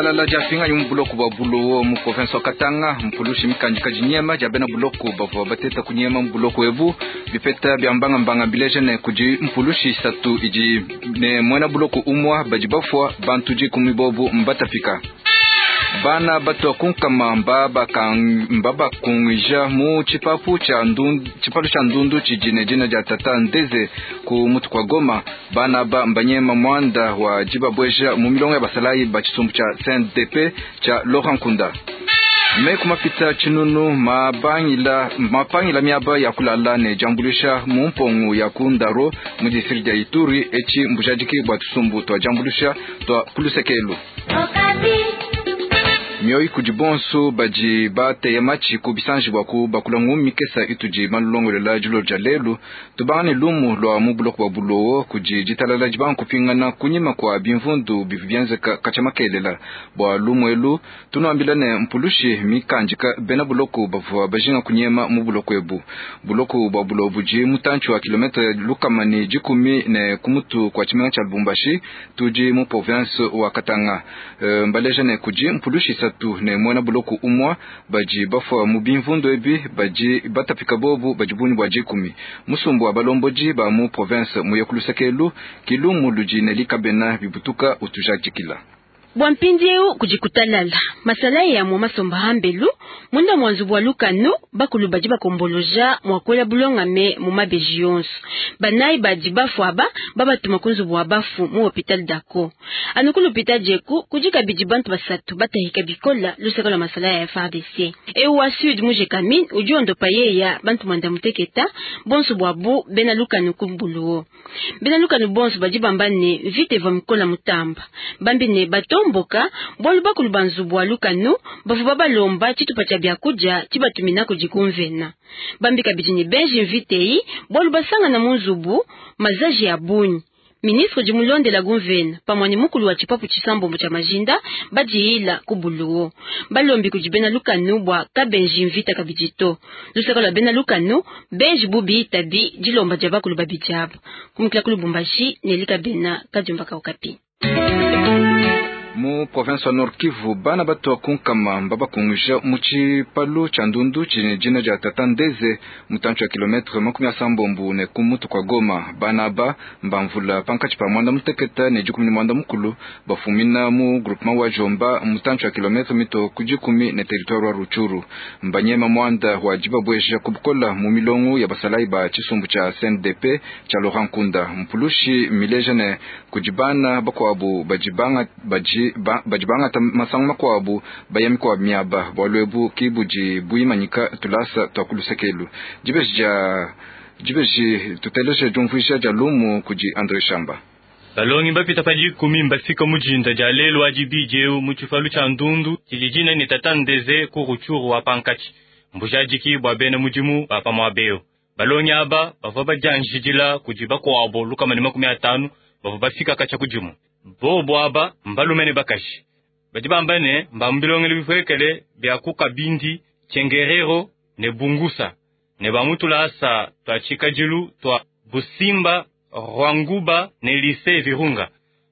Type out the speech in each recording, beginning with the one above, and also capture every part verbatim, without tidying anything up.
Ditalala dia pinganyi mu buloko bua Bulowo mu province wa Katanga, mpulushi mikandika dinyema dia bena buloko bavua bateta kunyema mu buloko ebu. Bipeta bia mbangambanga bileja ne kudi mpulushi isatu idi ne muena buloko umua badi bafua, bantu dikumi bobu mbatapika. Bana batua kunkama mbabakunguija mu tshipapu tshia ndundu, tshipalu tshia ndundu tshidi ne dina dia Tata Ndeze ku mutu kwa Goma. Bana ba mbanyema muanda wa dibabweja mu milongo ya basalayi ba tshisumbu tshia C N D P tshia Laurent Nkunda. Meku mapita tshinunu mabangila mapangila miaba ya kulala ne jambulisha mu mpongo ya kundaro mu district ya Ituri echi mbujadiki bwa tusumbu twa jambulisha twa kulusekelu. Mioyi kudi bonso badi bateye matshi ku bisanji bwa ku bakula ngumi kesa itudi malongolela dilo dia lelu. Tubangane lumu lwa mu buloko bwa Bulowo kudi ditalala dibangu kupingana kunyima kwa bimvundu bivi bienzeka katshia makelela. Bwa lumu elu tunuambila ne mpulushi mikandika bena buloko bavua bajinga kunyema mu buloko ebu. Buloko bwa Bulowo budi mutantshi wa kilometre lukama ne dikumi ne kumutu kwa tshimenga tshia Lubumbashi tudi mu province wa Katanga. E, mbaleja ne kudi mpulushi tu ne muena buloko umwa badi bafua mu bimvundu ebi badi batapika bobu badi bunyi bwa dikumi. Musumbu wa balomboji ba mu province muye kulusekelu kilumu ludi ne likabena bibutuka utujadikila. Bwa mpindieu kujikutalala masala ya mwa masomba hambelu munda mwanzu bwa lukano bakulu badi bakomboloja mwakwela bulongame mu mabeji yonso banayi badi bafu aba babatuma kunzu bwa bafu mu hopital dako anu ku l'hopital jeku kudi kabidi bantu basatu batahika bikola lusaka lwa masala ya F A R D C eu wa sud mu Gécamines udi ondopa yeya bantu mwanda muteketa bonso bwabu bena lukano ku Buluwo bena lukano bonso badi bamba ne vite va mikola mutamba bambi ne bato mboka bwalu bakulu banzu bwa lukano bavu babalomba tshitupa tshia biakudia tshibatumina kudi kumvena bambi kabidi ne benji mvitei bwalu basangana mu nzubu mazaji ya bunyi. Ministre du Mulonde la Gonvene, pamwani mukulu wa tshipapu tshisambombo tshia majinda badiila ku Buluwo balombi kudi bena lukano bwa kabenji mvita kabidi to lusaka lwa bena lukano benji bubi tabi dilomba dia bakulu babidi aba kumukila ku Lubumbashi ne likabena kadiumba kaukapi. Mu province wa Nord Kivu bana batua kunkama mbabakunguja mu tshipalu tshia ndundu tshine dina dia Tata Ndeze mutantshi wa kilometre makumi asambombo ne kumutu kwa Goma. Bana aba mbamvula pankatshi pa mwanda muteketa ne dikumi ne mwanda mukulu bafumina mu groupement wa Jomba mutantshi wa kilometre mito ku dikumi ne territoire wa Rutshuru. Mbanyema mwanda wa dibabweja kubukola mu milongo ya basalayi ba tshisumbu tshia C N D P tshia Laurent Nkunda. Mpulushi mileja ne kudi bana bakuabu badi banga ba badi bangata masangu makuabu baya mikua miaba bwalu ebu kibudi buimanyika tulasa twa kulusekelu. Dibeji dia dibeji tuteleje diumvuija dia lumu kudi Andre Shamba. Balongi bapita pa dikumi mbafika mujinda dia lelu adi bidieu mu tshipalu tshia ndundu tshidi dina ne Tata Ndeze ku Rutshuru wa pankatshi mbujadiki bua bena mudimu ba pamuabeo. Balongi aba bavua badianjidila kudi bakuabo lukama ne makumi atanu bavua bafika katshia kudimu. Bobo aba mbalume ne bakaji badi bamba ne mbambilongele bipuekele bia ku Kabindi, Tchengerero ne Bungusa ne bamutulasa twa tshikadilu twa Busimba, Rwanguba ne Lycée Virunga.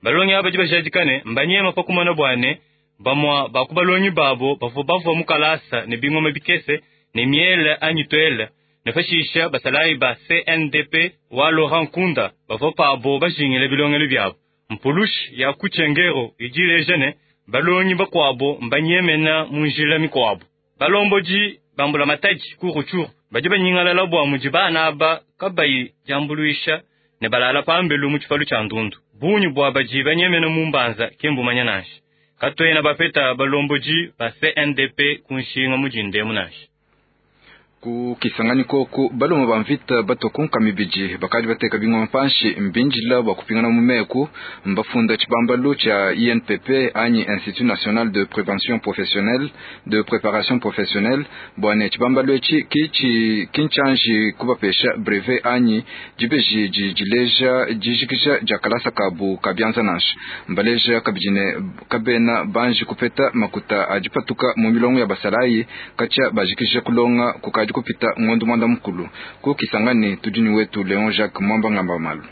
Balongi aba badi bajadika ne mbanyema pa kumona bwane bamwa baku balongi babo bavua bavua mu kalasa ne bingoma bikese ne miele anyi twele ne fashisha basalayi ba C N D P wa Laurent Nkunda bavua pabo bajingile bilongelo biabo. Mpulushi ya kuchengero idileja ne balongi bakuabo mbanyemena mu njila mikuabo. Balomboji bambula matadi ku Rutshuru badi banyingalala bua mudi bana aba kabayi diambuluisha ne balala pambelu mu tshipalu tshia ndundu. Bungi bua badi banyemena mu mbanza ke mbumanya nansha. Katuena bapeta balomboji ba C N D P ku nshinga mudindemu nansha. Ku Kisangani koku baloma ba mvita batokunka mibidi bakadi bateka bingoma panshi mbinjila bwa kupingana mu meku mbafunda tshibambalu tshia I N P P anyi Institut National de Prévention Professionnelle de Préparation Professionnelle bwane tshibambalu etshi kichi kinchanji kubapesha brevet anyi dibeji dileja dijikisha dia kalasa kabu kabyanza nansha mbaleja kabidine kabena banji kupeta makuta adipatuka mu milongo ya basalayi katshia bajikisha kulonga kukadi kupita ngondo mwanda mukulu ku Kisangani tudini wetu Leon Jacques Mwamba Ngamba Malu.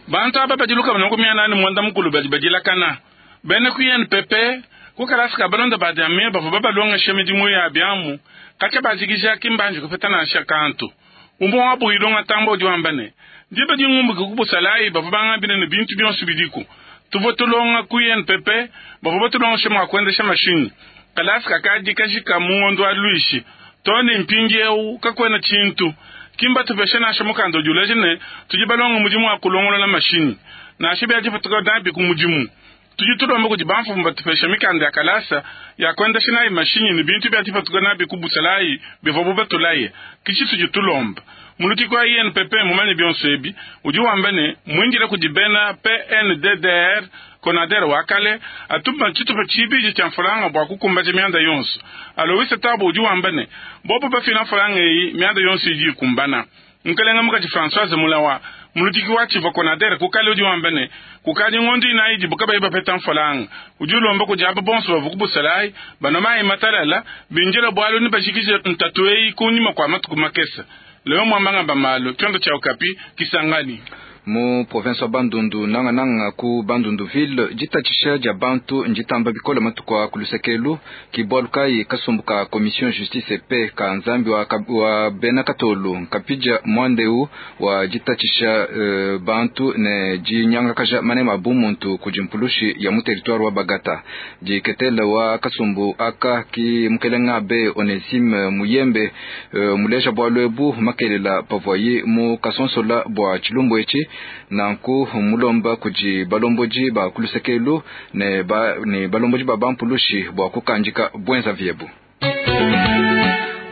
Bantu aba badiluka banoko miana ni mwanda mukulu badi badilakana bene ku I N P P Ku kalasa ka balonda ba diame bavua babalongesha midimu ya biamu katshia bajikija kimbanji kupeta nansha kantu. Umue wabu ilonga tambo udi wamba ne diba dingumbuke ku busalayi bavua bangambile ne bintu bionso bidiku. Tuvua tulonga ku I N P P bavua batulongesha mua kuendesha mashinyi. Kalasa kakadi kajika mu ngondo wa luishi too ne mpindieu kakuena tshintu. Kimba tupesha nansha mukanda udi uleja ne tudi balonga mudimu wa kulongolola mashinyi nansha bia dipatuka nabi ku mudimu. Tudi tulomba kudi bamfumu batupesha mikanda ya kalasa ya kuendesha nayi mashinyi ne bintu bia dipatuka nabi ku busalayi bivua batulaye. Kichi tudi tulomba mulutiki wa I N P P mumanye bionso ebi udi wamba ne mwindile kudi bena P N D D R Konader wa kale atuma tshitupa tshibidi tshia mfulanga bua kukumbaja mianda yonso. Aloise Tabo udi wamba ne bobo bafila mfulanga eyi mianda yonso idi ikumbana. Nkalenga mukaji Françoise Mulawa mulutiki wa tshivua Konader kukale udi wamba ne kukadi ngondo inayi idibu kabayi bapeta mfulanga. Udi ulomba kudi aba bonso bavua ku busalayi banwa matalala binjila bwalu ne bajikije ntatu eyi kunyima kwa matuku makesa. Leo mwambanga bamalo kyondo cha Okapi Kisangani. Mu province wa Bandundu nanga nanga ku Bandundu ville jitatshisha dia bantu njitamba bikola matuku ku lusekelu kibwalukai kasumbuka commission justice et paix ka nzambi wa, wa bena katolu nkapija mwandeu wa jitatshisha uh, bantu ne jinyanga kaja manema bumuntu kujimpulushi ya mu territoire wa Bagata jiketela wa kasumbu aka ki mukelenga be Onesime Muyembe uh, muleja bwalwebu makelela pavoyi mu kasonsola bwa chilumbu echi nanku mulomba kuji balomboji ba kulusekelu ne ba ne balomboji ba bampulushi bwa kukanjika bwenza vyebu.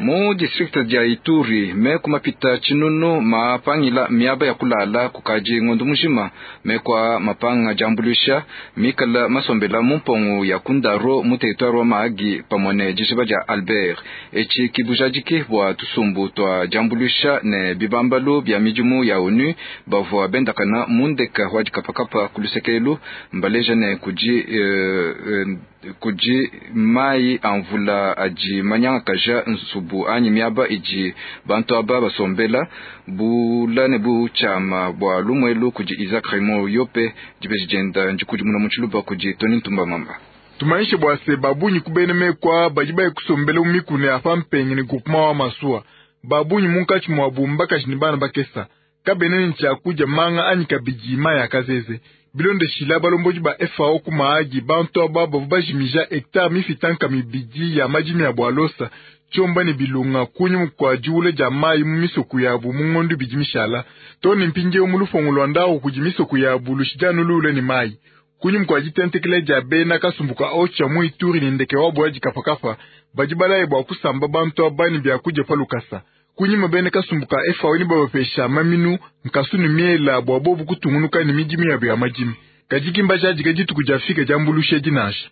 Mu district dia Ituri me kumapita chinunu mapangila miaba ya kulala kukaji ngondu mujima me kwa mapanga jambulisha mikala masombela mumpongo ya kundaro mu territoire wa Mahagi pamone jishiba ja Albert echi kibujajiki bwa tusumbu twa jambulisha ne bibambalu bya mijumu ya O N U bavua bendakana mundeka wa dikapakapa kulusekelu mbaleja ne kuji eh, eh, kuji mai amvula aji manyanga kaja nsubu anyi miaba iji bantu aba basombela bula ne bu chama bwa lumwelu kuji Isaac Raymond Yope jibeji jenda njikuji muna muchiluba kuji Tony Ntumba Mamba. Tumaishe bwa se babunyi kubene mekwa baji baye kusombela umikune afa mpenge ni groupement wa masua babunyi munkachi mwa bumba ni bana bakesa kabene nchakuja manga anyi kabiji maya kazeze bilonde shila balomboji ba F A O ku Mahagi bantu aba bavu bajimija hectare mifitanka mibidi ya majimi ya bwalosa chomba ni bilunga kunyu kwa jule ja mayi mu misoku yabu mu ngondu bidi mishala toni mpinje mu lufongo lwa ndawo kuji misoku yabu lushijanu lule ni mayi kunyu kwa jitentekele ja bena kasumbuka ocha mu Ituri ni ndeke wabo ya jikapakapa baji balaye bwa kusamba bantu abani bya kuja palukasa kunyima bene kasumbuka F A O ni babapesha maminu nkasunu miela bwa bobu kutungunuka ni mijimi yabu ya majimi kajikimba jaji jituku jafika jambulushe jinasha.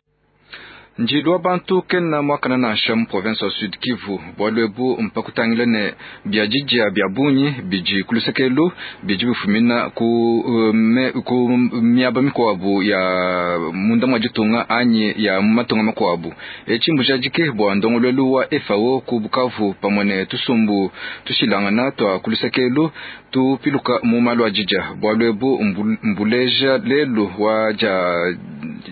Njilwa bantu kena mwakana nansha mu province wa Sud Kivu bwalwebu mpakutangile ne byajijia bya bunyi biji kulusekelu biji bifumina ku, me, ku miaba mikwabu ya munda mwa jitunga anyi ya matunga makwabu echimbu jajike bwa ndongolwelu wa F A O ku Bukavu pamwe tusumbu tushilangana twa kulusekelu tupiluka mu malu ajija bwalwebu mbuleja lelu wa ja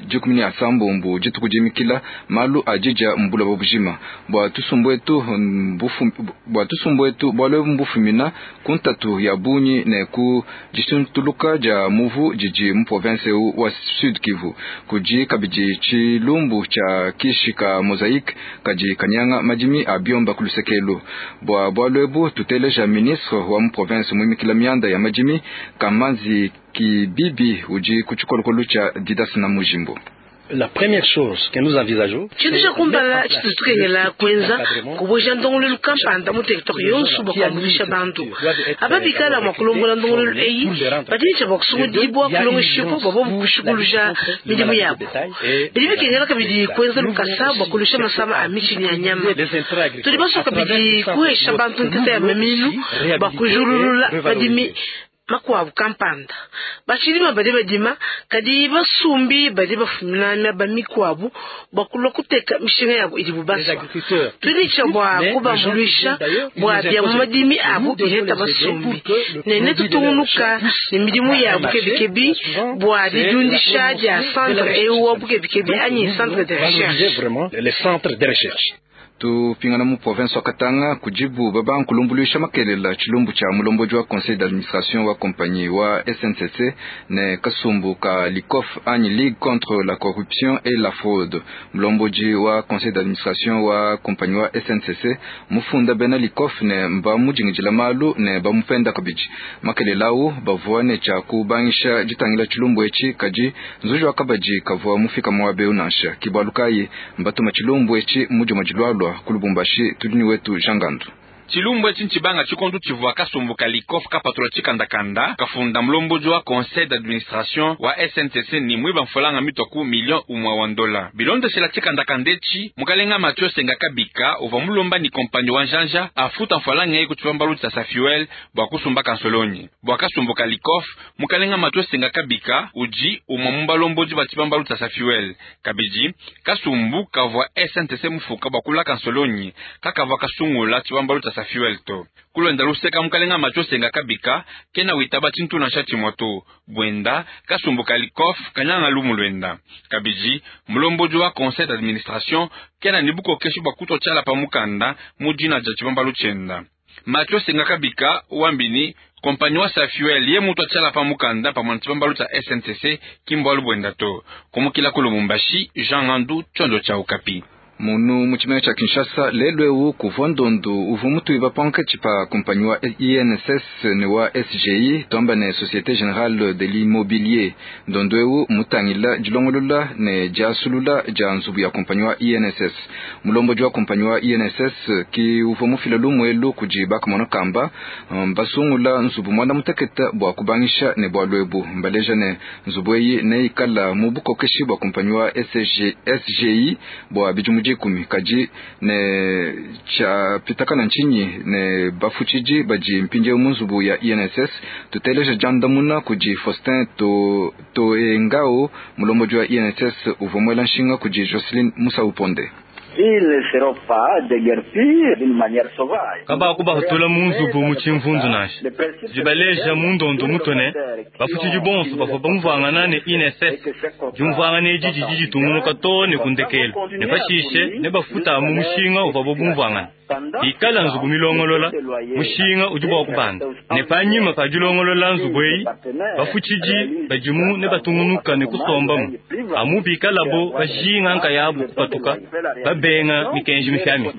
jikumi ya sambumbu jituku jimikila malu ajija mbula bobujima bwa tusumbu mbufu bwa tusumbu etu bwalwe mbufumina kuntatu ya bunyi ne ku jisuntuluka ja muvu jiji mu province wa Sud Kivu kuji kabiji chilumbu cha kishika mosaic kaji kanyanga majimi abiomba kulusekelu bwa bwalwebu tuteleja ministre wa mu province mwimikila mianda ya majimi kamanzi kibibi uji kuchikolokolu cha Didas na Mujimbo. La première chose que nous envisageons, tshintu tsha kumpala tshitutukengela kuenza kuboja ndongolelu kampanda mu territoire yonso bua kuambuluisha bantu aba bikala mua kulombola ndongolelu eyi badi bua kusungudibua kulongeshibua bua bobu kushikuluja midimu yabo bidi bikengela kabidi kuenza lukasa bua kulusha masama a mitshi ne a nyama tudi basua kabidi kuhesha bantu nteta ya maminu bua kujululula madimi makuabu kampanda. Bashilima badi badima kadi basumbi badi bafumina miaba mikuabu bua kulua kuteka mishinga yabo idibu baswa. Tudi ne bua kubambuluisha bua bia mu madimi abu bileta basumbi ne netutungunuka ne midimu ya bukebikebi bua didiundisha dia centre eu wa bukebikebi anyi centre de recherche. Tupingana mu province wa Katanga kujibu baba nkulumbuluisha makelela chilumbu cha mulomboji wa conseil d'administration wa compagnie wa S N C C ne kasumbu ka Likof anyi Ligue contre la corruption et la fraude. Mulomboji wa conseil d'administration wa compagnie wa S N C C mufunda bena Likof ne mba mujingijila malu ne bamupenda kabiji. Makelela u bavua ne cha kubangisha jitangila chilumbu echi kaji nzuji wa kabaji kavua mufika mwabe unansha kibalukai mbatuma chilumbu echi mujuma jilwalwa kulubumbashi tudini wetu Jangandu. Chilumbu echi nchibanga chikondu chivua kasumbu ka Likof kapatula chikandakanda kafunda mlomboji wa conseil d'administration wa S N C C ni mwiba mfolanga mitoku million umwa wa ndola. Bilondeshela chikandakanda echi mukalenga Mathieu Senga Kabika uva mulomba ni kompanyi wa njanja afuta mfolanga eku chibambalu cha Safuel bwa kusumba kansolonyi. Bwa kasumbu ka Likof mukalenga Mathieu Senga Kabika uji umwa mumbalomboji ba chibambalu cha Safuel. Kabiji kasumbu kavua S N C C mufuka bwa kula kansolonyi kakavua kasungula chibambalu cha Safuel to. Kulonda luseka mukalenga Mathieu Senga Kabika kena witaba chintuna shati moto bwenda kasumbu ka Likof kanyanga lumu lwenda. Kabiji mulomboji wa conseil d'administration kena nibuko kesho bakuto chala pa mukanda mujina ja chibambalu chenda. Mathieu Senga Kabika wambini kompanyi wa Safuel ye mutu achala pa mukanda pa mwana chibambalu cha S N C C kimbwalu bwenda to. Kumukila ku Lubumbashi Jean Ngandu chondo cha Okapi. Munu muchimea cha Kinshasa lelwewu kuvua ndondu uvu mutu iba panke chipa kompanyi wa I N S S ne wa S G I tomba ne Société Générale de l'Immobilier. Ndondu ewu mutangila jilongolola ne jasulula ja nzubu ya kompanyi wa I N S S. Mulomboji wa kompanyi wa I N S S ki uvu mufila lumwelu kujibaka mwana kamba mbasungula nzubu mwanda muteketa bwa kubangisha ne bwa lwebu. Mbaleja ne nzubu eyi ne ikala mubukokeshi bwa kompanyi wa S G I bwa bijumu kumi kaji ne cha pitakana nchinyi ne bafuchiji baji mpinje munzubu ya I N S S tuteleja jandamuna kuji Faustin to to engao mulomboji wa I N S S uvomwela nshinga kuji Jocelyn Musa Uponde. Kaba kuba hatula munzubu muchimvunzu nashe jibaleja mundondo mutone bafuchiji bonso bafo bamuvangana ne I N S S jumvanga ne jiji jiji tungunuka to ne kundekela ne pashishe ne bafuta mu mushinga uva bo bumvangana ikala nzubu milongolola mushinga udi bwa kubanda ne panyima pa dilongolola nzubu eyi bafuchiji bajimu ne batungunuka ne kusombamu amu bikalabo bajinga nkayabu kupatuka babenga mikenji mifyami.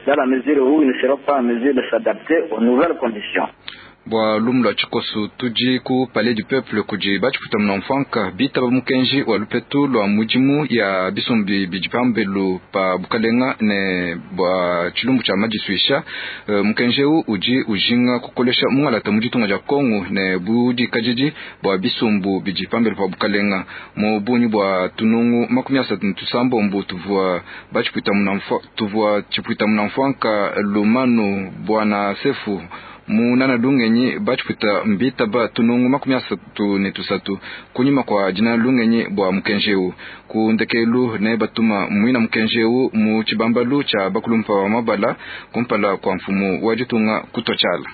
Bwa lumu lwa chikosu tuji ku Palais du Peuple kuji bachiputa mnamfanka bitaba mukenji wa lupetu lwa mujimu ya bisumbi bijipambelu pa bukalenga ne bwa chilumbu cha majiswisha uh, mukenji u uji ujinga kukolesha mungalata mujitunga ja Kongo ne budi kajiji bwa bisumbu bijipambelu pa bukalenga mu bunyi bwa tunungu makumi asatu tusambombo tuvua bachiputa mnamfa tuvua chiputa mnamfanka lumanu bwana sefu munana lungenyi bachiputa mbita ba tunungu makumi asatu ne tusatu kunyuma kwa jina lungenyi bwa mukenjeu kundekelu ne batuma mwina mukenjeu mu chibambalu cha bakulumpa wa mabala kumpala kwa mfumu wa jitunga kutochala.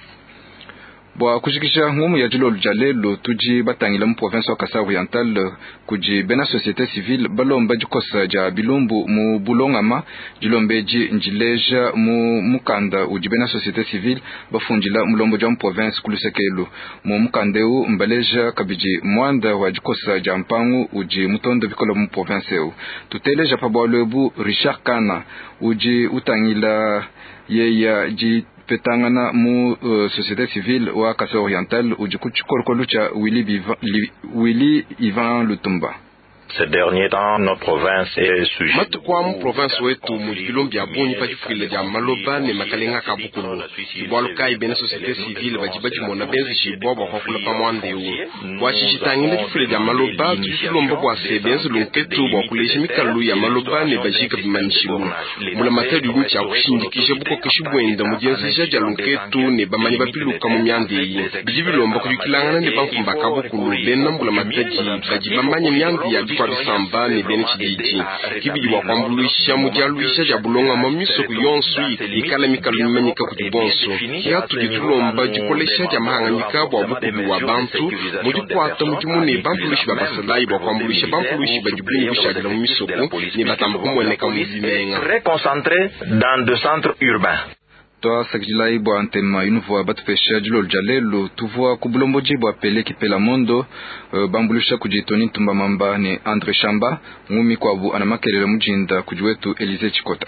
Bwa kujikisha ngumu ya jilolu ja lelo tuji batangila mu province wa Kasai Oriental kuji bena société civile balomba jikosa ja bilumbu mu bulongama jilombeji njileja mu mukanda uji bena société civile bafundila mulombo ja mu province kulusekelu mu mukandeu mbaleja kabiji mwanda wa jikosa ja mpangu uji mutondo bikola mu province eu tuteleja pa bwalwebu Richard Kana uji utangila yeya ji petangana mu uh, société civile wa Kasai Oriental uji kuchikorokolu cha Willy, Biva, li, Willy Ivan Lutumba. Matuku a mu province wetu mudi bilombi bia bungi pa difuila dia maloba ne makalenga ka bukulu. Bualu kayi bena société civile badi badimona benzejibua bua kuakula pa muanda eu. Bua tshijitangila difuila dia maloba, tudi tulomba bua se benze lunketu bua kuleja mikalu ya maloba ne bajika bimanyishilu. Mbulamatadi udi tshia kushindikija bukokeshi buenda mu dienzeja dia lunketu ne bamanyi bapiluka mu mianda eyi. Bidi bilomba kuyukilangana ne bamfumu ba kabukulu bena mbulamatadi badi bamanye mianda ya bikwa bisamba ne bena tshididi. Kibidi bua kuambuluisha mu dialuisha dia bulongama misoko yonso ikala mikalu mimanyika kudi bonso. Kia tudi tulomba dikolesha dia mahanganyika bua bukubi wa bantu mu dikuata mudimu ne bampulushi ba basalayi bua kuambuluisha bampulushi badi bungi bushadila mu misoko ne batamba kumueneka mu bimenga. Twasakidilayi bua ntema inuvua batupesha dilolo dia lelu. Tuvua ku bulombodi bua Pele Kipela Mondo, uh, bambulusha kudi Tony Ntumba Mamba ne Andre Shamba. Ngumi kwabu ana makelela mujinda kudi wetu Elise Chikota.